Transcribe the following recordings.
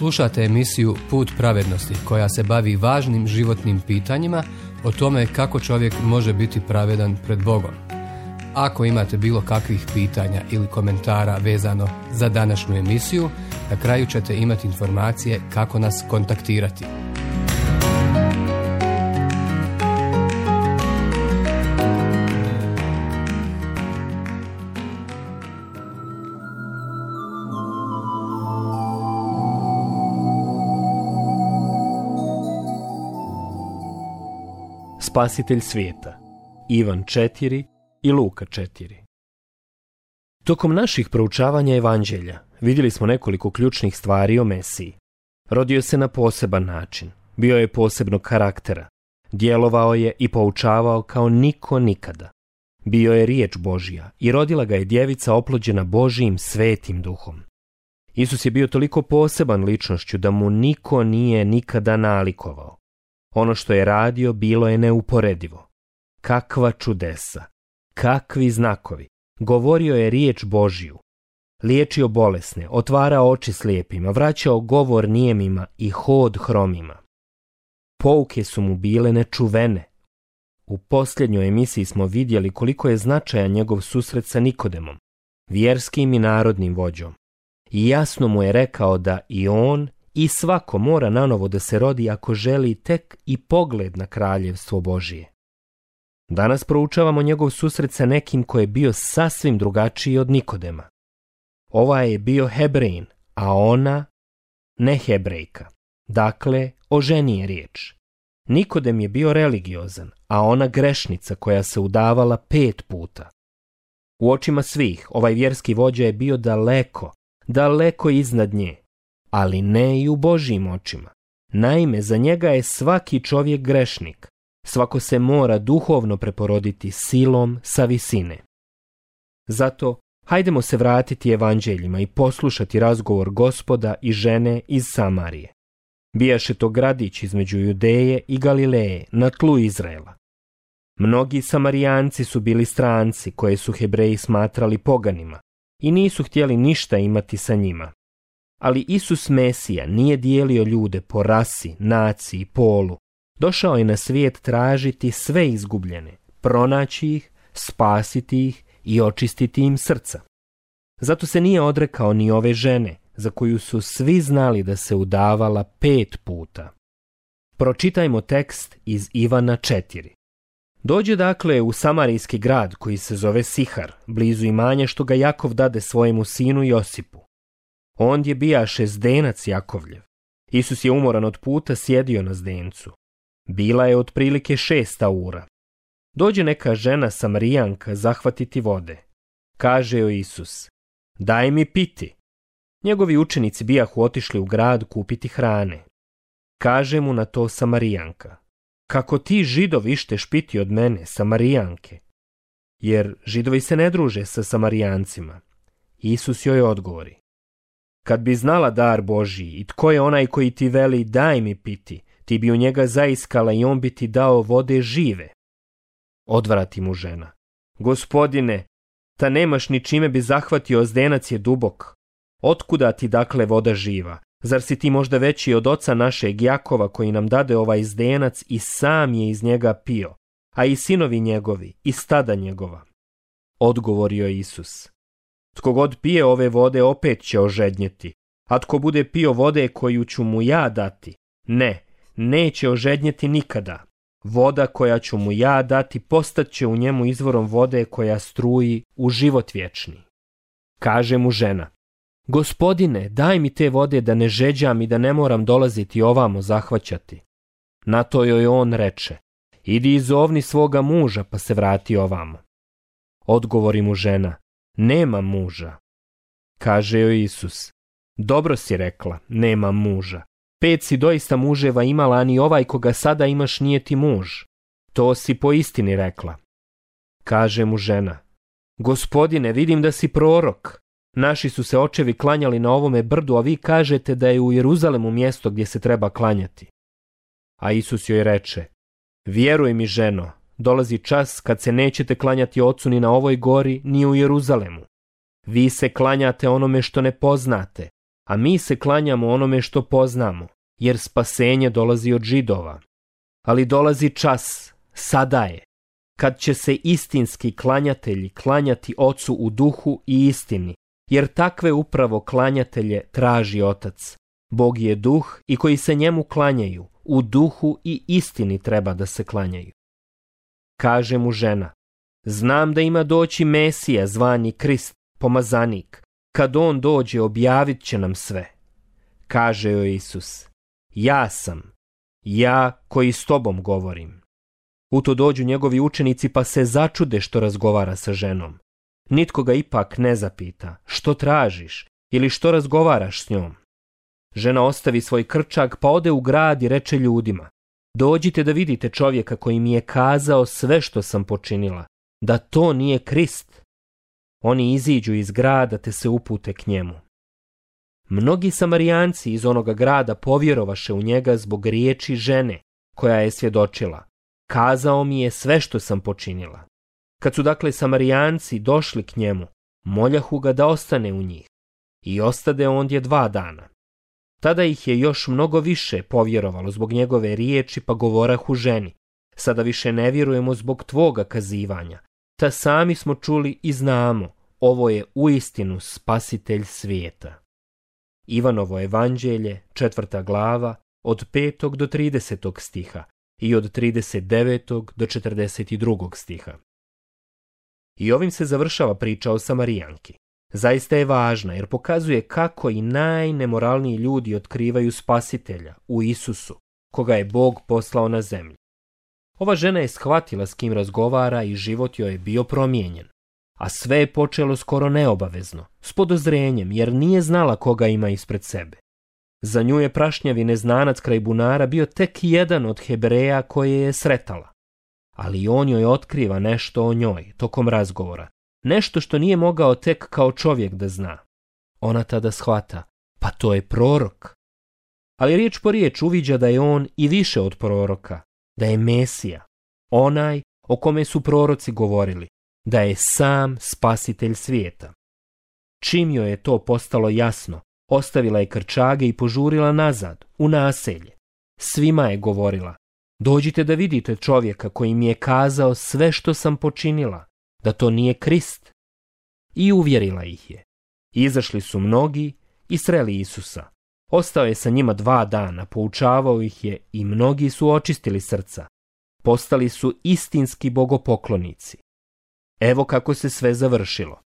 Slušate emisiju Put pravednosti koja se bavi važnim životnim pitanjima o tome kako čovjek može biti pravedan pred Bogom. Ako imate bilo kakvih pitanja ili komentara vezano za današnju emisiju, na kraju ćete imati informacije kako nas kontaktirati. Spasitelj svijeta, Ivan 4 i Luka 4. Tokom naših proučavanja evanđelja vidjeli smo nekoliko ključnih stvari o Mesiji. Rodio se na poseban način, bio je posebnog karaktera, djelovao je i poučavao kao niko nikada. Bio je riječ Božja i rodila ga je djevica oplođena Božjim svetim duhom. Isus je bio toliko poseban ličnošću da mu niko nije nikada nalikovao. Ono što je radio bilo je neuporedivo. Kakva čudesa, kakvi znakovi. Govorio je riječ Božju. Liječio bolesne, otvarao oči slijepima, vraćao govor nijemima i hod hromima. Pouke su mu bile nečuvene. U posljednjoj emisiji smo vidjeli koliko je značajan njegov susret sa Nikodemom, vjerskim i narodnim vođom. I jasno mu je rekao da i on i svako mora nanovo da se rodi ako želi tek i pogled na kraljevstvo Božije. Danas proučavamo njegov susret sa nekim ko je bio sasvim drugačiji od Nikodema. Ovaj je bio Hebrejin, a ona ne Hebrejka. Dakle, o ženi je riječ. Nikodem je bio religiozan, a ona grešnica koja se udavala 5 puta. U očima svih ovaj vjerski vođa je bio daleko iznad nje, ali ne i u Božjim očima. Naime, za njega je svaki čovjek grešnik. Svako se mora duhovno preporoditi silom sa visine. Zato, hajdemo se vratiti evanđeljima i poslušati razgovor Gospoda i žene iz Samarije. Bijaše to gradić između Judeje i Galileje na tlu Izraela. Mnogi Samarijanci su bili stranci koje su Hebreji smatrali poganima i nisu htjeli ništa imati sa njima. Ali Isus Mesija nije dijelio ljude po rasi, naciji, polu. Došao je na svijet tražiti sve izgubljene, pronaći ih, spasiti ih i očistiti im srca. Zato se nije odrekao ni ove žene, za koju su svi znali da se udavala 5 puta. Pročitajmo tekst iz Ivana 4. Dođe dakle u samarijski grad koji se zove Sihar, blizu imanja što ga Jakov dade svojemu sinu Josipu. Ondje bijaše zdenac Jakovljev. Isus je umoran od puta sjedio na zdencu. Bila je otprilike 6 ura. Dođe neka žena Samarijanka zahvatiti vode. Kaže joj Isus: daj mi piti. Njegovi učenici bijahu otišli u grad kupiti hrane. Kaže mu na to Samarijanka: kako ti Židovi išteš piti od mene, Samarijanke? Jer Židovi se ne druže sa Samarijancima. Isus joj odgovori: kad bi znala dar Božji i tko je onaj koji ti veli daj mi piti, ti bi u njega zaiskala i on bi ti dao vode žive. Odvrati mu žena: Gospodine, ta nemaš ni čime bi zahvatio, zdenac je dubok. Otkuda ti dakle voda živa? Zar si ti možda veći od oca našeg Jakova koji nam dade ovaj zdenac i sam je iz njega pio, a i sinovi njegovi i stada njegova? Odgovorio je Isus: tko god pije ove vode opet će ožednjeti, a tko bude pio vode koju ću mu ja dati, neće ožednjeti nikada. Voda koja ću mu ja dati postaće u njemu izvorom vode koja struji u život vječni. Kaže mu žena: Gospodine, daj mi te vode da ne žeđam i da ne moram dolaziti ovamo zahvaćati. Na to joj on reče: idi izovni svoga muža pa se vrati ovamo. Odgovori mu žena: nemam muža. Kaže joj Isus: dobro si rekla, nemam muža. 5 si doista muževa imala, a ni ovaj koga sada imaš nije ti muž. To si po istini rekla. Kaže mu žena: Gospodine, vidim da si prorok. Naši su se očevi klanjali na ovome brdu, a vi kažete da je u Jeruzalemu mjesto gdje se treba klanjati. A Isus joj reče: vjeruj mi, ženo, dolazi čas kad se nećete klanjati Ocu ni na ovoj gori, ni u Jeruzalemu. Vi se klanjate onome što ne poznate, a mi se klanjamo onome što poznamo, jer spasenje dolazi od Židova. Ali dolazi čas, sada je, kad će se istinski klanjatelji klanjati Ocu u duhu i istini, jer takve upravo klanjatelje traži Otac. Bog je duh i koji se njemu klanjaju, u duhu i istini treba da se klanjaju. Kaže mu žena, znam da ima doći Mesija zvani Krist, pomazanik. Kad on dođe, objavit će nam sve. Kaže joj Isus, ja sam, ja koji s tobom govorim. U to dođu njegovi učenici pa se začude što razgovara sa ženom. Nitko ga ipak ne zapita, što tražiš ili što razgovaraš s njom. Žena ostavi svoj krčak pa ode u grad i reče ljudima, dođite da vidite čovjeka koji mi je kazao sve što sam počinila, da to nije Krist. Oni iziđu iz grada te se upute k njemu. Mnogi Samarijanci iz onoga grada povjerovaše u njega zbog riječi žene koja je svjedočila, kazao mi je sve što sam počinila. Kad su dakle Samarijanci došli k njemu, moljahu ga da ostane u njih i ostade ondje 2 dana. Tada ih je još mnogo više povjerovalo zbog njegove riječi pa govorahu ženi, sada više ne vjerujemo zbog tvoga kazivanja, ta sami smo čuli i znamo, ovo je uistinu spasitelj svijeta. Ivanovo evanđelje, 4. glava, od 5. do 30. stiha i od 39. do 42. stiha. I ovim se završava priča o Samarijanki. Zaista je važna jer pokazuje kako i najnemoralniji ljudi otkrivaju spasitelja u Isusu, koga je Bog poslao na zemlju. Ova žena je shvatila s kim razgovara i život joj je bio promijenjen. A sve je počelo skoro neobavezno, s podozrenjem jer nije znala koga ima ispred sebe. Za nju je prašnjavi neznanac kraj bunara bio tek jedan od Hebreja koje je sretala. Ali on joj otkriva nešto o njoj tokom razgovora, nešto što nije mogao tek kao čovjek da zna. Ona tada shvata, pa to je prorok. Ali riječ po riječ uviđa da je on i više od proroka, da je Mesija, onaj o kome su proroci govorili, da je sam spasitelj svijeta. Čim joj je to postalo jasno, ostavila je krčage i požurila nazad, u naselje. Svima je govorila, dođite da vidite čovjeka koji mi je kazao sve što sam počinila, da to nije Krist. I uvjerila ih je. Izašli su mnogi i sreli Isusa. Ostao je sa njima 2 dana, poučavao ih je i mnogi su očistili srca. Postali su istinski bogopoklonici. Evo kako se sve završilo.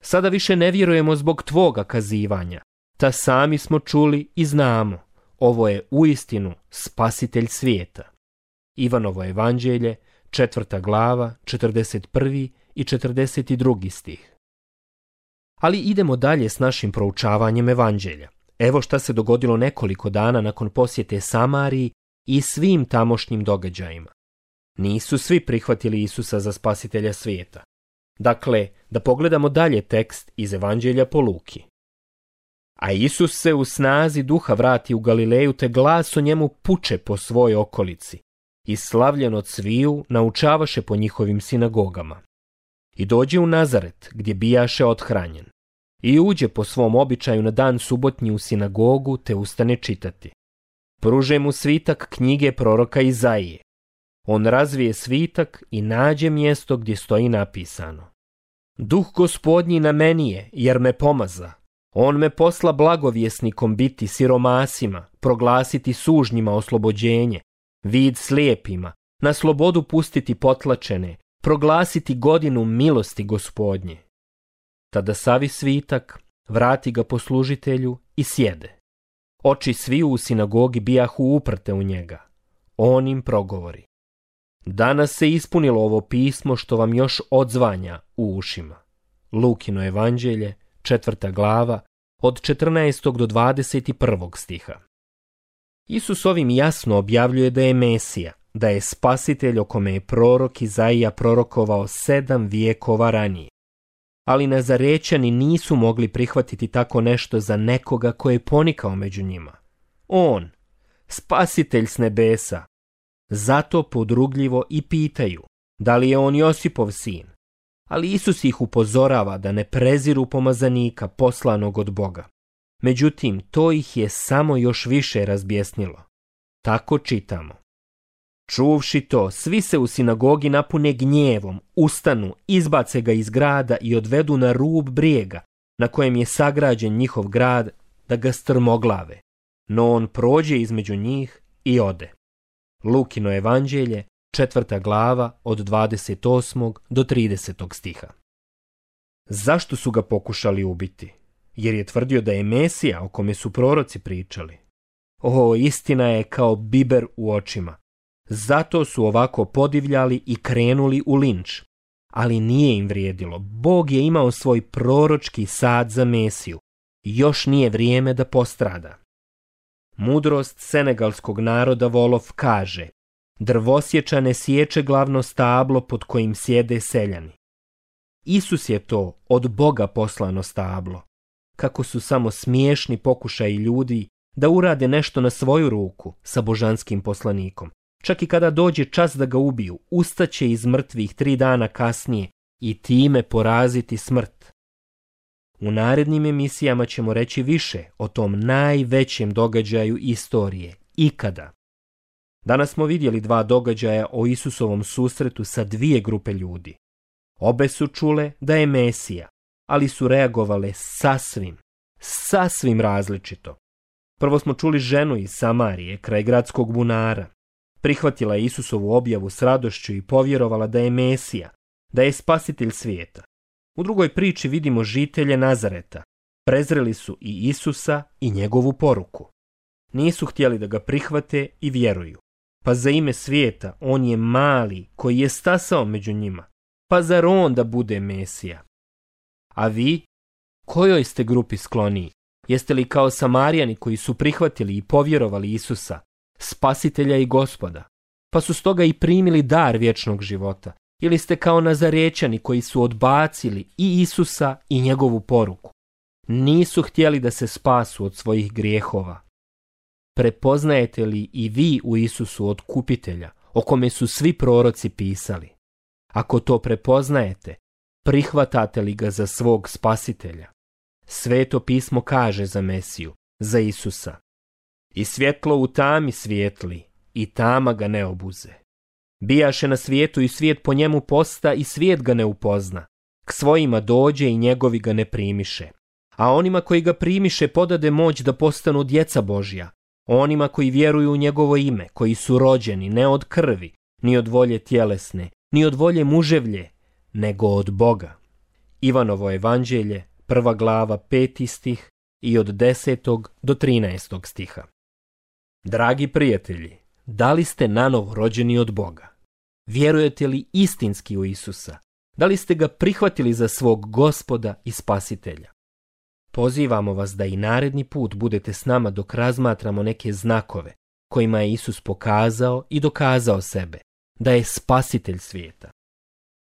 Sada više ne vjerujemo zbog tvoga kazivanja, ta sami smo čuli i znamo, ovo je uistinu spasitelj svijeta. Ivanovo evanđelje, 4. glava, 41. i 42. stih. Ali idemo dalje s našim proučavanjem evanđelja. Evo šta se dogodilo nekoliko dana nakon posjete Samariji i svim tamošnjim događajima. Nisu svi prihvatili Isusa za spasitelja svijeta. Dakle, da pogledamo dalje tekst iz Evanđelja po Luki. A Isus se u snazi duha vrati u Galileju, te glas o njemu puče po svoj okolici. I slavljen od sviju naučavaše po njihovim sinagogama. I dođe u Nazaret, gdje bijaše othranjen. I uđe po svom običaju na dan subotnji u sinagogu, te ustane čitati. Pruže mu svitak knjige proroka Izaije. On razvije svitak i nađe mjesto gdje stoji napisano. Duh Gospodnji na meni je, jer me pomaza. On me posla blagovjesnikom biti siromasima, proglasiti sužnjima oslobođenje, vid slijepima, na slobodu pustiti potlačene, proglasiti godinu milosti Gospodnje. Tada savi svitak, vrati ga poslužitelju i sjede. Oči sviju u sinagogi bijahu uprte u njega. On im progovori. Danas se ispunilo ovo pismo što vam još odzvanja u ušima. Lukino evanđelje, 4. glava, od 14. do 21. stiha. Isus ovim jasno objavljuje da je Mesija, da je spasitelj o kome je prorok Izaija prorokovao 7 vijekova ranije. Ali Nazarećani nisu mogli prihvatiti tako nešto za nekoga ko je ponikao među njima. On, spasitelj s nebesa. Zato podrugljivo i pitaju, da li je on Josipov sin. Ali Isus ih upozorava da ne preziru pomazanika poslanog od Boga. Međutim, to ih je samo još više razbjesnilo. Tako čitamo. Čuvši to, svi se u sinagogi napune gnjevom, ustanu, izbace ga iz grada i odvedu na rub brijega, na kojem je sagrađen njihov grad, da ga strmoglave. No on prođe između njih i ode. Lukino evanđelje, 4. glava, od 28. do 30. stiha. Zašto su ga pokušali ubiti? Jer je tvrdio da je Mesija o kome su proroci pričali. Istina je kao biber u očima. Zato su ovako podivljali i krenuli u linč. Ali nije im vrijedilo. Bog je imao svoj proročki sad za Mesiju. Još nije vrijeme da postrada. Mudrost senegalskog naroda Wolof kaže: drvosječa ne sječe glavno stablo pod kojim sjede seljani. Isus je to od Boga poslano stablo. Kako su samo smiješni pokušaji ljudi da urade nešto na svoju ruku sa božanskim poslanikom. Čak i kada dođe čas da ga ubiju, ustaće iz mrtvih 3 dana kasnije i time poraziti smrt. U narednim emisijama ćemo reći više o tom najvećem događaju istorije, ikada. Danas smo vidjeli 2 događaja o Isusovom susretu sa 2 grupe ljudi. Obe su čule da je Mesija, ali su reagovale sasvim različito. Prvo smo čuli ženu iz Samarije, kraj gradskog bunara. Prihvatila je Isusovu objavu s radošću i povjerovala da je Mesija, da je spasitelj svijeta. U drugoj priči vidimo žitelje Nazareta. Prezreli su i Isusa i njegovu poruku. Nisu htjeli da ga prihvate i vjeruju. Pa za ime svijeta on je mali koji je stasao među njima. Pa zar on da bude Mesija? A vi? Kojoj ste grupi skloniji? Jeste li kao Samarijani koji su prihvatili i povjerovali Isusa, spasitelja i Gospoda, pa su stoga i primili dar vječnog života? Ili ste kao Nazarećani koji su odbacili i Isusa i njegovu poruku? Nisu htjeli da se spasu od svojih grijehova. Prepoznajete li i vi u Isusu otkupitelja, o kome su svi proroci pisali? Ako to prepoznajete, prihvatate li ga za svog spasitelja? Sveto pismo kaže za Mesiju, za Isusa: i svjetlo u tami svijetli, i tama ga ne obuze. Bijaše na svijetu i svijet po njemu posta i svijet ga ne upozna. K svojima dođe i njegovi ga ne primiše. A onima koji ga primiše podade moć da postanu djeca Božja. Onima koji vjeruju u njegovo ime, koji su rođeni ne od krvi, ni od volje tjelesne, ni od volje muževlje, nego od Boga. Ivanovo evanđelje, 1. glava, 5. stih i od 10. do 13. stiha. Dragi prijatelji, da li ste nanovo rođeni od Boga? Vjerujete li istinski u Isusa? Da li ste ga prihvatili za svog Gospoda i Spasitelja? Pozivamo vas da i naredni put budete s nama dok razmatramo neke znakove kojima je Isus pokazao i dokazao sebe, da je Spasitelj svijeta.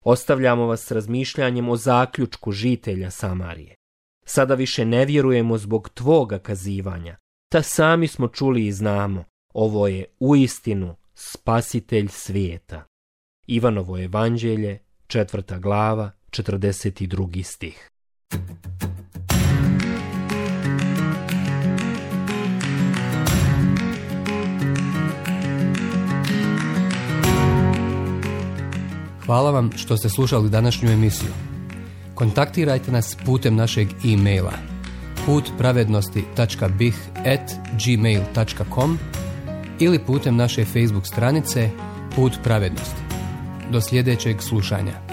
Ostavljamo vas s razmišljanjem o zaključku žitelja Samarije. Sada više ne vjerujemo zbog tvoga kazivanja, ta sami smo čuli i znamo, ovo je uistinu Spasitelj svijeta. Ivanovo evanđelje, 4. glava, 42. stih. Hvala vam što ste slušali današnju emisiju. Kontaktirajte nas putem našeg e-maila putpravednosti.bih@gmail.com ili putem naše Facebook stranice Put pravednosti. Do sljedećeg slušanja.